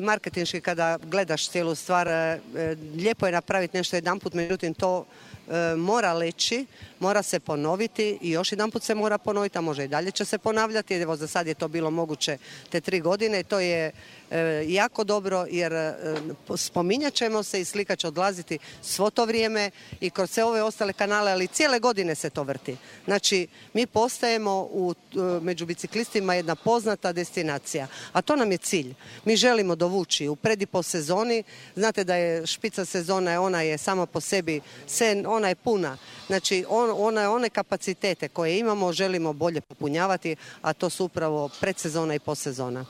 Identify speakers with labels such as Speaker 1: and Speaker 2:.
Speaker 1: Marketinški kada gledaš cijelu stvar, lijepo je napraviti nešto jedanput, međutim to mora leći, mora se ponoviti i još jedanput se mora ponoviti, a može i dalje će se ponavljati. Evo za sad je to bilo moguće te 3 godine i to je jako dobro jer spominjat ćemo se i slika će odlaziti svo to vrijeme i kroz sve ove ostale kanale, ali cijele godine se to vrti. Znači, mi postajemo među biciklistima jedna poznata destinacija, a to nam je cilj. Mi želimo dovući u pred i po sezoni, znate da je špica sezona, ona je sama po sebi, ona je puna. Znači, one kapacitete koje imamo želimo bolje popunjavati, a to su upravo predsezona i posezona.